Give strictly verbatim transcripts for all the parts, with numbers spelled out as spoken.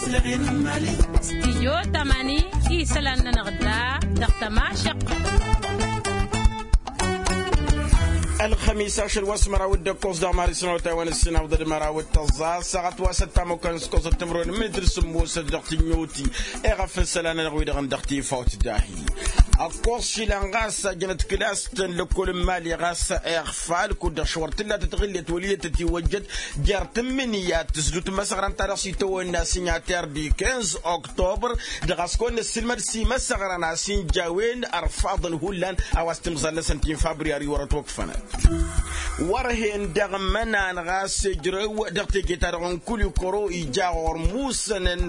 Stijyo tamani isălan-nănăɣ da dăɣ-tămašăqqăt. Ălxămis ašăl wa s-măraw d-ăkkoẓ dăɣ-mari s-năwătay wa n-ǝssin awǝḍăd măraw d-tăẓẓa ăssaɣăt wa s-ăttamăkkan s-kăẓăt timǝrwen mǝnǝt d-sǝmmosăt dăɣ-tǝnnyoti. Eɣăf n-isălan-nănăɣ wi-dăɣ n-dăɣ-tifawt dahi ăkkoẓ išilan ɣas ajănăt kǝlas-tăn lăkkol n-imali ɣas iɣfal kud-dăɣ šăwăr tǝllat tăɣǝllet wăl' iyyăt tătiwăjjăt jer-tǝmmǝnǝya tǝsdut n-imăsăɣran-ta-dăɣ s-itawănna s-inyater d-ikenz oktobăr. Dăɣ-a-s kăwăn-năssilmăd s-imăsăɣran a-s inja a-wen ărfaḍăn hullan a-wa s-timẓal-năsăn ti n-fabriyari wăr-ătwăkfănăt. Wăr-hen dăɣ-imănan ɣas ijrăw dăɣ-teje-ta-dăɣ n-kulikoro ija ɣur-musănăn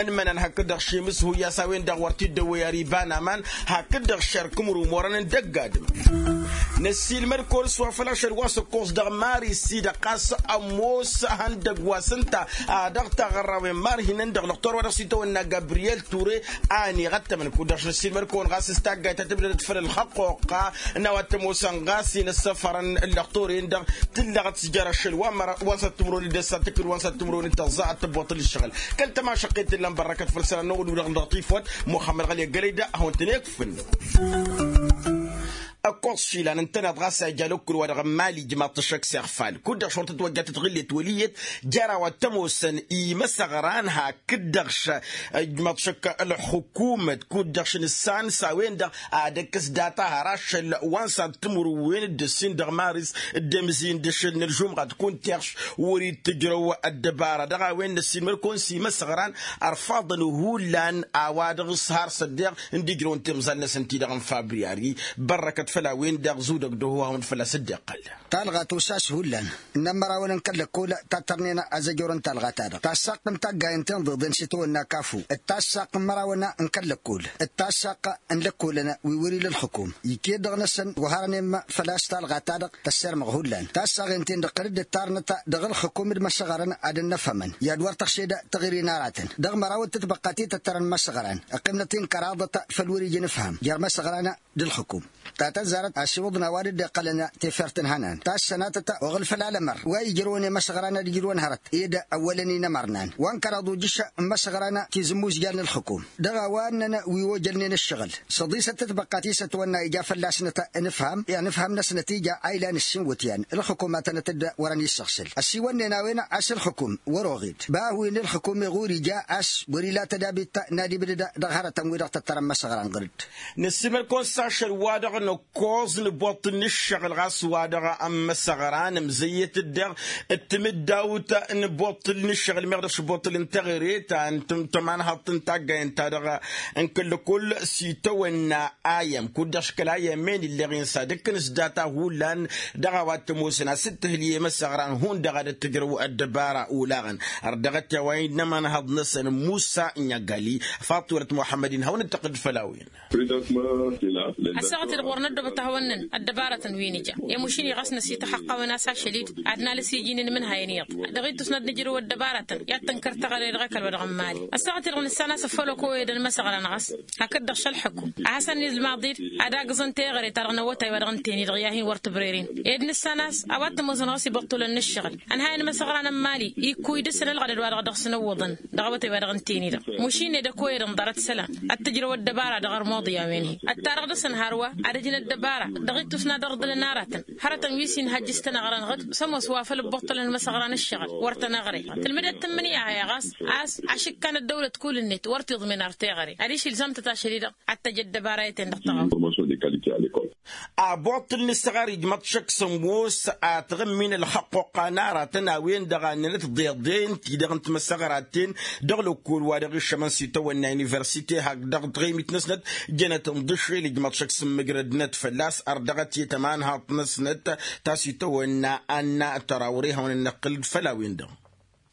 n-imănan hakd-dăɣ šemǝs huyya s-a-wen-dăɣ wăr t-dd-ăwwăy ar iba n-aman hakd-dăɣ šerk ǝmru imorăn n-dăgg-adǝm. Năssiilmăd kăwăn-s wa făl ašăl wa s-ăkkoẓ dăɣ-mari s-i-dăɣ ɣas ămoos ihăndăgg wa s-ǝnta a dăɣ-taɣărrawen marhinăn dăɣ-lăxtor wa dăɣ-s itawănna gabriyel ture a ăniɣăttămăn kud-dăɣ š-năssiilmăd kăwăn ɣas s-taggayt ta tǝbdădăt făll-ălxăqqoqqa n-a-wa t-ămoosăn ɣas inǝssăfărăn ǝllăxtor-en-dăɣ tǝllăɣăt s-jer-ašăl wa n-săr timǝrwen d-ăssa tǝkkǝd wa n-săr timǝrwen d-tăẓẓa ad-tǝbboṭṭǝl ǝššăɣǝl. Kăl-tămašăqqet tǝllan bărrăkăt făll-isălan n-ăwwăl-wi-dăɣ n-dăɣ-tifwăt muxămmăd ɣăli ăggălăy da ad-hawăn-tăn-ikfǝn. Ăkkoẓ išilan ǝntăneḍ ɣas a ija lăkkul-wa-dăɣ n-imali ijmaḍ-t ăššăk s-iɣfal kud-dăɣ šorăt ătwăjja tătɣǝllet wăl' iyyăt jer-a-wa t-ămoosăn imăsăɣran hakd-dăɣ š-ijmaḍ-t ăššăk ălxukumăt kud-dăɣ š-nǝssan s-a-wen-dăɣ ad-ăkkăs data har ašăl wa n-săr timǝrwen d-ǝssin dăɣ-maris d-emǝzin d-ašăl n-ălžumɣa d-kuntiɣš wăr-dd-tǝjrăw ăddăbara dăɣ-a-wen năssiilmăd-kăwăn s-imăsăɣran ărfaḍăn hullan a-wa dăɣ-s har s-ăddeɣ n-dd-ijrăwăn timẓal-năsăn ti-dăɣ n-fabriyari. Bărrăkăt făll-a-wen-dăɣ zudăg d-oho hawăn-dd fălla-s dd-iqqăl. Talɣa tusas hullan n-ămărawăn n-kăl-lăkkol ta tărnen azăjor n-talɣa-ta-dăɣ tassaqq n-taggayen tinḍeḍen s-itawănna kafu d-tassaqq n-imărawăn n-kăl-lăkkol d-tassaqq n-lăkkolăn wi wăr-ila ǝlxǝkum iket dăɣ-năsăn wa hărănen făl-a-s talɣa-ta-dăɣ tăssermăɣ hullan tassaɣen-ten-dăɣ tăr-dd ǝttarnăt dăɣ-ǝlxǝkum d-imăsăɣran ad-ănnăfhămăn. I-ad-wăr tăɣšed taɣǝri n-aratăn dăɣ-mărawăt tǝtbăqqat i-tăttărăn imăsăɣran ǝqqimnăt-in kăraḍăt făll-wăr-ija ǝnǝfham jer-imăsăɣran d-ǝlxǝkum. Ta tăzzarăt asiwǝḍăn a-wa dd-iqqălăn tefert n-ihănan tassănatăt oɣǝl făll-alămăr wa ijrăwăn i-imăsăɣran ad-ijrăwăn hărăt ed ăwwălăn-in ămărnan wa n-kăraḍ ujǝš n-imăsăɣran tizǝmmuzjan n-ǝlxǝkum dăɣ-a-wa ǝnnăn wi ojălnen ǝššăɣǝl. Săḍisăt tǝtbăqqat i-s ătwănna ija fălla-snăt ănǝfham i-anǝfham-năsnăt ija a ilan ǝssin iwǝtyan ǝlxǝkum ad-tănăt-dd wărăn issăɣsǝl ăsiwănnen a-wen a-s ǝlxǝkum wăr-oɣed bahǝw-in ǝlxǝkum iɣur ija a-s wăr-ila tădabit n-ad-ibdăd dăɣ-hărătăn-wi-dăɣ tăttărăn imăsăɣran ɣǝr-dd. Năssiilmăd-kăwăn s-ašăl wa dăɣ-năkkoẓ n-iboṭṭǝl n-ǝššăɣǝl ɣas wa dăɣ-ămmăsăɣran ǝmzăyyăt-dd dăɣ-d timǝddawt n-iboṭṭǝl n-ǝššăɣǝl meɣ dăɣ-s iboṭṭǝl n-teɣăre ta n-tămanhaḍt n-taggay ǝnta-dăɣ n-kăl-lăkol s-itawănna ayăm kud-dăɣ s-kăl-ayăm-en illeɣ-in s-ad-ǝkkǝn s-data hullan dăɣ-a-wa t-ămoosăn a-s dd-tǝhǝl i-imăsăɣran hundăɣ ad-dd-tǝjrăw ăddăbara olaɣăn. Ărdăɣăt i-a-wa innă ămanhaḍ-năsăn musa n-igali faṭ wălăt muḥămmăd-in hawăn-dd-tăqqǝd făll-a-wen. Ăssaɣăt-i-dăɣ wăr năddobăt ad-hawăn-năn ăddăbarătăn wi nǝja i-mušin-i ɣas năsităxăqqawăn a-s ašăl-dd ad-nalǝs iji n-inmǝnhayăn iyyăḍ. Dăɣ-ittus n-ad-nǝjrǝw ăddăbarătăn i-ad-tǝnkăr teɣăre dăɣ-ekăl wa dăɣ-n mali ăssaɣăt-i-dăɣ nǝssan a-s ăffăl ăkowăyăd n-imăsăɣran ɣas hakd-dăɣ šălḥăkku ad-hasăn-in-ilmaḍ-dd ad-agǝẓăn teɣăre-ta-dăɣ n-awătay wa dăɣ-ǝnten-i-dăɣ i-ad-hin-wăr tǝbreren. Ed nǝssan a-s a-wa t-ămoosăn ɣas ibăṭṭulăn n-ǝššăɣǝl ănhayăn imăsăɣran n-mali ikkuy dăɣ-săn ălɣădăd wa dăɣ-dăɣ-săn ǝwwăḍăn dăɣ-awătay wa dăɣ-ǝnten-i-dăɣ mušin ed ăkoyăd ǝnḍarăt isălan ad-t-ǝjrăw ăddăbara dăɣ-ărmuḍ i-a-wen-hi. Ăttarăɣ dăɣ-săn hărwa ad-ăjǝn ăddăbara dăɣ-ittus n-ad-ărḍǝlăn aratăn hărătăn wi s-inhăjj s-tănăɣra n-ɣǝd s-ămoos wa făl ǝbbuṭṭălăn imăsăɣra n-ǝššăɣǝl wăr tănăɣre. Tǝlmǝdăt tǝmmǝnǝya-hi ɣas a-s ašǝkka n-ăddăwlăt kull-net wăr t-iḍmen ar teɣăre adiš ilzam-tăt ašăl-i-dăɣ ad-tăj ăddăbara i-ten-dăɣ tăɣawt. Aboṭṭǝl n-ǝssăɣar ijmăḍ šăkk s-ămoos ad-tɣǝmmin ălxăqqoqqa n-aratăn a-wen-dăɣ a ǝnnănăt deḍen-ti-dăɣ n-timăsăɣraten dăɣ-lăkkol wa dăɣ-iššămăn s-itawănna universite hakd dăɣ-tɣemit-năsnăt. Jănăt n-dăšel ijmăḍ šăkk s-ǝmmǝjrădnăt fălla-s ărdăɣăt i-tămanhaḍt-năsnăt ta s-itawănna anna tărawre hawăn-ănnăqqǝl-dd făll-a-wen-dăɣ.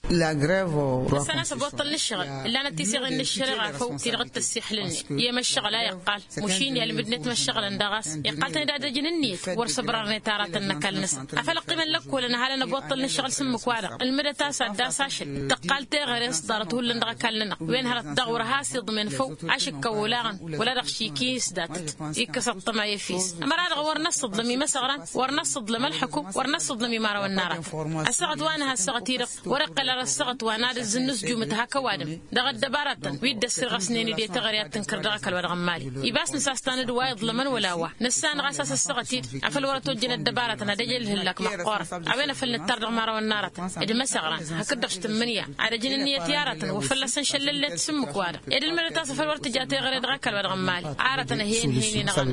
Ăssan a-s ăboṭṭăl n-ǝššăɣǝl ǝllanăt tiseɣen n-ǝššăreɣa făw ti-dăɣ t-ăssixlǝlnen i-emăššăɣǝl a iqqal mušin i-almǝdnet măššăɣǝlăn daɣ a-s iqqal-tăn-dd ad-ăjǝn ǝnniyăt wăr săbrărnet aratăn n-ăkall-năsăn. Afăl ăqqimăn lăkkolăn ăhalăn ăboṭṭăl n-ǝššăɣǝl s-ǝmmǝk-wa-dăɣ ǝlmǝdăt a-s ad-dd-asăšăl tăqqal teɣăre s-ḍarăt hullan dăɣ-ăkall-nănăɣ wen hărăt daɣ wăr has-iḍmen făw ašǝkkăw olaɣăn wăla dăɣ-šik i-isdatăt. Ikkăs ăṭṭăma i-efes ămăra-dăɣ wăr năssăḍlăm imăsăɣran wăr năssăḍlăm ălxǝkum wăr năssăḍlăm imărawăn n-aratăn. Ăssaɣăt wa nǝha ăssaɣăt-i-dăɣ wăr-iqqăl. ăssăɣăt wa n-ad-ǝzzǝnnǝsjumǝt hak ăwadǝm dăɣ-ăddăbaratăn wi dd-ăssirɣăsnen-dd i-teɣăre ad-tǝnkăr dăɣ-ăkall wa dăɣ-n mali. Ibas nǝsas tanǝd wa iḍlămăn wăla wa nǝssanăɣ a-s a-s ăssăɣăt-dd afăl wăr-ătojjăn ăddăbaratăn ad-ăj ălhǝllak măqqoorăn a-wen afăl nǝttar dăɣ-imărawăn n-aratăn d-imăsăɣran hakd-dăɣ s-tǝmmǝnǝya ad-ăjǝn ǝnniyăt i-aratăn wa fălla-săn šăllăllet s-ǝmmǝk-wa-dăɣ ed ǝlmǝdăt a-s afăl wăr tǝja teɣăre dăɣ-ăkall wa dăɣ-n mali. Aratăn ăheyăn-hen-i-năɣăn.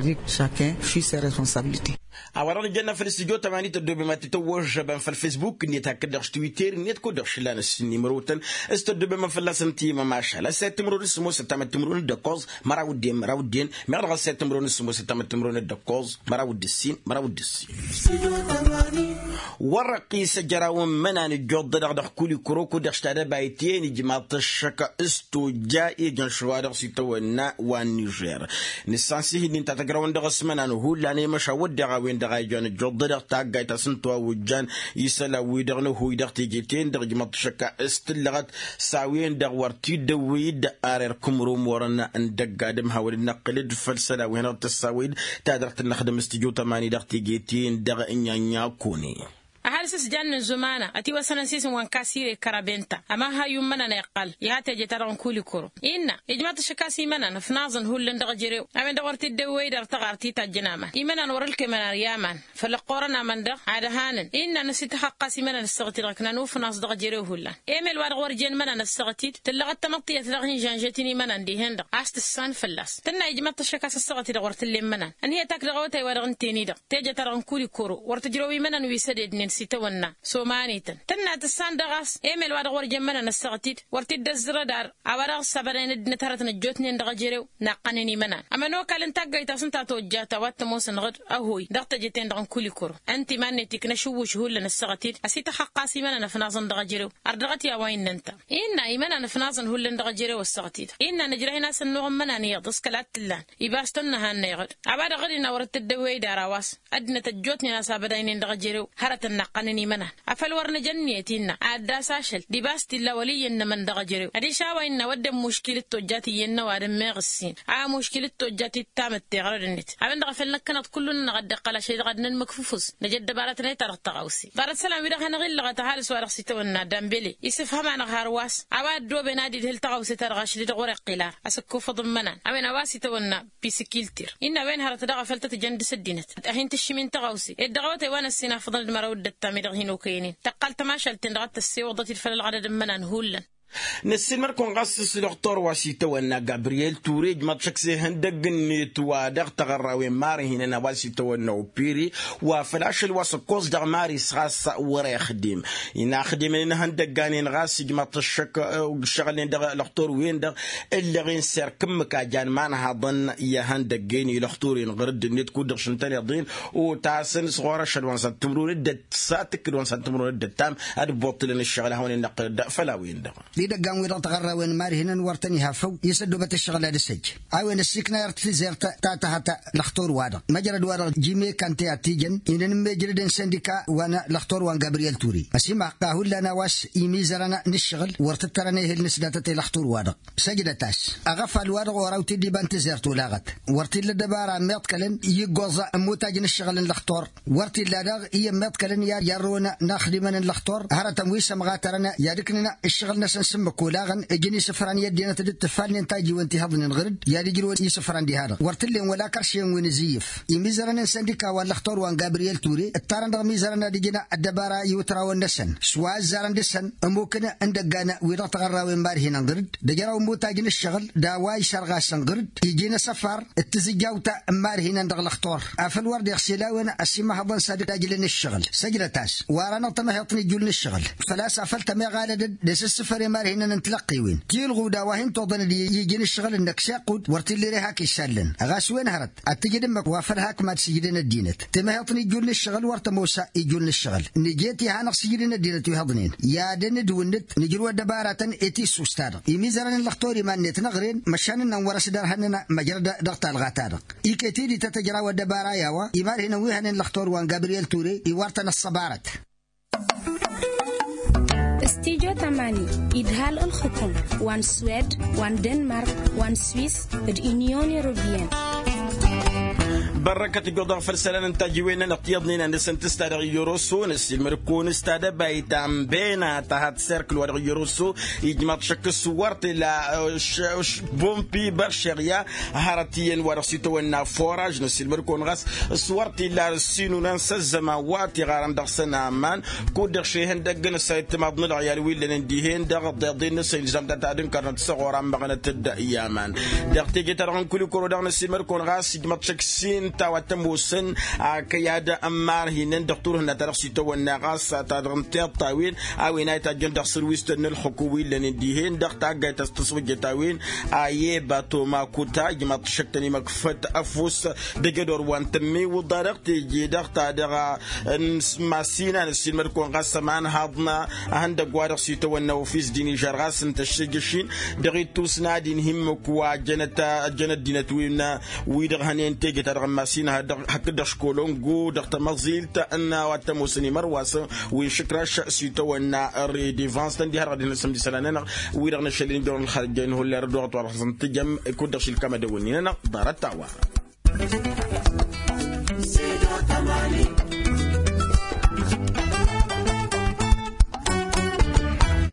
A-wa-dăɣ nǝjănna făll-studyo tămani tăddobem ad-t-tăwwăžžăbăm făll-fesbuk-net hakd-dăɣ s-twitter-net kud-dăɣ šǝllan ăssinni mărotăn s-tăddobem ad-fălla-săn timămašal ăssayăt timǝrwen s-sămoosăt tamăt timǝrwen d-ăkkoẓ măraw d-en măraw d-en meɣ dăɣ-ăssayăt timǝrwen s-sămoosăt tamăt timǝrwen d-ăkkoẓ măraw d-ǝssin măraw d-ǝssin. Wăr-ăqqis ăjraw n-imănan ǝjjuḍ-dăɣ dăɣ-kulikuro kud-dăɣ s-tadăbayt i-ijmaḍ-t ăššăk s-tojja ijăn šăwa-dăɣ s-itawănna wa n-nižer. Nǝssan s-ihǝnnin ta tăjrawăn dăɣ-s imănan hullan i-măšan wădden a-wen-dăɣ a ijan ǝjjuḍ-dăɣ taggayt a-s n-tiwawǝjjan isălan-wi-dăɣ n-ăhuy dăɣ-teje-ten-dăɣ ijmăḍ-t šăkka s-tǝllăɣăt s-a-wen-dăɣ wăr t-dd-ăwwăy-dd ar irk imrumurăn n-dăgg-adǝm hawăn-dd-năqqǝl-dd făll-isălan wi hanăɣ-tăssawăy-dd ta dăɣ-tǝnnăxdăm s-tijo tămani dăɣ-teje-ten-dăɣ n-inya-inya kune. Ăhalǝs s-jannen zumana ătiwăsănăn s-isǝm wa n-kasire karabenta ămahayyu n-imănan a iqqăl iha teje-ta-dăɣ n-kulikoro innă ijmaḍ-t ăššăk a-s imănan ǝfnaẓăn hullan dăɣ-ejărew a-wen-dăɣ wăr t-dd-ăwwăy d-ar tăɣart i-tajjăn aman imănan wăr-ǝlkeman ar i-aman făll-ăqqoorăn aman-dăɣ ad-ăhanăn innă năsităxăqqas imănan ăssaɣăt-i-dăɣ ǝknan ufnaẓ dăɣ-ejărew hullan emel wa dăɣ-wăr jen imănan ăssaɣăt-dd tǝllăɣăt tamăḍt tiyyăt dăɣ-hin-žănžăt-in imănan dihen-dăɣ a-s tǝssan fălla-s tǝnna ijmaḍ-t ăššăk a-s ăssaɣăt-i-dăɣ wăr t-ǝllen imănan ǝnhǝyăt ak dăɣ-awătay wa dăɣ-ǝnten-i-dăɣ teje-ta-dăɣ n-kulikoro wăr tǝjrăw imănan wi s-ădednen s-itawănna s-omanităn tǝnna tǝssan dăɣ-a-s emel wa dăɣ-wăr jăn imănan ăssaɣăt-dd wăr t-dd-ăzzărăd ar a-wa dăɣ-s ăbădayăn ăddinăt hărătăn ăjjootnen dăɣ-ejărew naqqăn-in imănan ămănokal n-taggayt a-s ǝnta tojjat a-wa t-ămoos ănɣăd ăhoy dăɣ-teje-ten-dăɣ n-kulikoro ǝnta iman-net ikna ašǝwwǝš hullan ăssaɣăt-dd ăsităxăqqas imănan ăfnaẓăn dăɣ-ejărew ărdăɣăt i-a-wa innă ǝnta innă imănan ăfnaẓăn hullan dăɣ-ejărew ăssaɣăt-dd innă nǝjrăh-in a-s ănnuɣ n-imănan iyyăḍ s-kăla t-ǝllan ibas tănnăhannăyăɣ-dd a-wa dăɣ-dd-innă wăr t-dd-ăwwey d-ara wa-s ăddinăt ăjjootnen a-s abădaynen dăɣ-ejărew hărătăn naqqăn-in imănan afăl wăr nǝja ǝnniyăt innă ad-dd-as ašăl d-ibas t-illa wăl' iyyăn n-emăn dăɣ-ejărew adiš a-wa innă wădden muškil d-tojjat iyyăn n-ăwadǝm meɣ ǝssin a muškil d-tojjat ittamǝtte ɣărăd-net a-wen-dăɣ a făl năkkăneḍ kullu-nănăɣ ad-dd-iqqăl ašăl-i-dăɣ ad-nănmǝkfǝfǝs năj ăddăbarătăn i-ta-dăɣ tăɣawse ḍarăt isălan-wi-dăɣ hanăɣ-illăɣăt ăhalǝs wa dăɣ-s itawănna dambele isǝfhăm-anăɣ har wa s-a-wa ăddooben ad-idhǝl tăɣawse-ta-dăɣ ašăl-i-dăɣ wăr-iqqǝl ar asǝkkufăḍ n-imănan a-wen a-wa s-itawănna pisikiltir innă a-wen hărăt daɣ a făl tăt-jan dăr-s ăddinăt ad-hin-tǝššǝm-in tăɣawse ed dăɣ-awătay wa n-ăssinafăḍăn d-măraw d-ăttam-i-dăɣ hin-okăyăn-in tăqqal tămašalt-ten-dăɣ ad-tăssewăḍăt-dd făll-ălɣădăd n-imănan hullan. Năssiilmăd-kăwăn ɣas s-dăɣtor wa s-itawănna gabriyel ture ǝjmăḍ šăkk s-ihăndăgg-net wa dăɣ-taɣărrawen mari hinăn a-wa s-itawănna opiri wa făl ašăl wa s-ǝkkoẓ dăɣ-mari s-ɣas wăr-ixdim inaxdimăn inhăndăgg-anen ɣas ǝjmăḍ-t ăššăk ǝššăɣǝlnen dăɣ-lăxtur-wen-dăɣ ǝllăɣ-in s-erk ǝmmǝk a jan imanhaḍăn i-ihăndăgg-en i-lăxtur-in ɣăr ǝddǝnet kud-dăɣ šǝntăn iḍin otasăn s-ɣur-ašăl wa n-săntǝmrun d-ăttam s-ad-tǝkkǝd wa n-săntǝmrun d-ăttam ad-ǝbbuṭṭǝlăn ǝššăɣǝl a hawăn-in-năqqǝl dd-făll-a-wen-dăɣ. Idăggan-wi-dăɣ taɣărrawen n-imar hinăn wăr tăn-iha făw i-săddobăt ǝššăɣǝl ad-ǝssăj a-wen ăssiiknayăr tizert ta tăhăt lăxtur-wa-dăɣ măjrăd-wa-dăɣ jime kante ad-t-ijăn inăn n-mejrăd n-săndika wa n-lăxtur wa n-gabriyel ture ăsimăxqa hullan a-wa s-imizărăn n-ǝššăɣǝl wăr t-ǝttărăn ehel n-ǝsdatăt i-lăxtur-wa-dăɣ. Săjdăt-as aɣăfal-wa-dăɣ oraw t-dd-iba n-tizert olaɣăt wăr t-illa ăddăbara ămmiḍkălăn i-iggoẓ n-imutaj n-ǝššăɣǝl n-lăxtur wăr t-illa daɣ i-ămmiḍkălăn i-ad-irrǝwăn inaxdimăn n-lăxtur hărătăn wi s-ămɣatărăn i-ad-ǝknǝn ǝššăɣǝl-năsăn s-ǝmmǝk olaɣăn ǝjǝn isǝfran i-ăddinăt d-ǝttǝfalnen tajiwen ti hăḍnen ɣǝr-dd i-ad-ǝjrǝwăn isǝfran diha-dăɣ wăr t-ǝllen wăla kăršen wi n-azǝyyǝf. Imizărăn n-săndika wa n-lăxtur wa n-gabriyel ture ǝttarăn dăɣ-imizărăn ad-ǝjǝn ăddăbara i-iwǝtrawen-năsăn s-wa ăzzarăn dăr-săn ămmukǝn n-idăggan wi dăɣ-taɣărrawen marhinăn ɣǝr-dd d-ăjraw n-imutaj n-ǝššăɣǝl d-a-wa isărɣasăn ɣǝr-dd iji n-asăfar d-tizǝjjawt n-marhinăn dăɣ-lăxtur afăl wăr deɣ s-ila a-wen ăsimăhăḍăn s-ad-ajlăn ǝššăɣǝl săjdăt-as. Wăr-anăɣ tamăhiḍt n-ijul n-ǝššăɣǝl făl-a-s afăl tămiɣalădăd d-asǝssǝfăre marhinăn n-tilăqqiwen tilɣuda wa hin-tuḍăn d-iji n-ǝššăɣǝl-năk s-iqqud wăr t-illa ere hak išallăn ɣas wen hărăt ad-t-ǝjǝd ǝmmǝk wa făl hak mad-sǝjdăn ăddinăt. Tamăhiḍt n-ijul n-ǝššăɣǝl wăr tămoos ijul n-ǝššăɣǝl nǝjet iha-năɣ sǝjdǝn ăddinăt wi hăḍnen i-ad-ănn d-wǝnnǝt nǝjrǝw ăddăbaratăn i-tissust-ta-dăɣ imizărăn n-lăxtur iman-net n-aɣren măšan ǝnnăn wăr-ăsdărhănăn măjrăd dăɣ-talɣa-ta-dăɣ. Iket-i d-ităt ăjraw ăddăbara i-a-wa imar hinăn wi hănen lăxtur wa n-gabriyel ture iwar-tăn ăṣṣăbarăt. Studyo tamani idhal ǝlxǝkum wa n-swed wa n-denmark wa n-swis d-inyon europeyăn. Bărrăkăt ijjoḍăɣ făll-isălan n-tajǝwen-nănăɣ tiyyăḍnen a dăr-săn tǝsta dăɣ-iyyăroso năssiilmăd-kăwăn s-tadăbayt ta n-bena ta had-serkǝl wa dăɣ-iyyăroso. Ijmaḍ šăkk s-wăr t-illa bompi băršeɣya hărăt iyyăn wa dăɣ-s itawănna foraž năssiilmăd-kăwăn ɣas s-wăr t-illa ăssinunan s-ăzzăman wa tiɣarăn dăɣ-săn aman. Kud-dăɣ šehăn dăgg-năsăn ittimaḍ n-ălɣăyal wi ǝllănen dihen-dăɣ ăḍḍeḍen-năsăn ilzam-ta tadǝnkărnăt s-ăɣora n-măɣnăt-dd i-aman. Dăɣ-teje-ta-dăɣ n-kulikoro dăɣ-năssiilmăd-kăwăn ɣas ijmăḍ šăkk s-inta wa t-ămoosăn akăyad n-imarhinăn dăɣ-turhǝnna ta dăɣ-s itawănna ɣas ta dăɣ-n tiḍt a-wen a-wen a itajjăn dăɣ-sărwistăn n-ălxukum wi ǝllănen dihen-dăɣ taggayt ta s-tăswăjjăt a-wen a i-eba toma kuta ijmăḍ šăk tăn-imăkfăt ăfuss. Dăgg-edor wa n-tămmiwǝḍa dăɣ-teje-dăɣ ta dăɣ-a n-masina năssiilmăd-kăwăn ɣas ămanhaḍna. Ahăndăgg wa dăɣ-s itawănna ofis dinižar ɣas ǝnta ăššǝjjăš-in dăɣ-ittus n-ad-inhǝmmǝk wa jănăt jănăt dinăt-wi n-wi-dăɣ hănen teje-ta-dăɣ n-masina hakd-dăɣ školongo dăɣ-tamăẓilt n-a-wa t-ămoosăn imărwasăn wi n-išǝkraš s-itawănna redevans tăn-dd-iha dăɣ-ad-hin-ăsǝmd isălan-nănăɣ wi-dăɣ n-ašăl-in jăwăn ălxarăjjăyăn hullan ărduɣăt wa dăɣ-săn tǝjăm. Kud-dăɣ šilkam ad-ăwănni-nănăɣ ḍarăt-a-wa.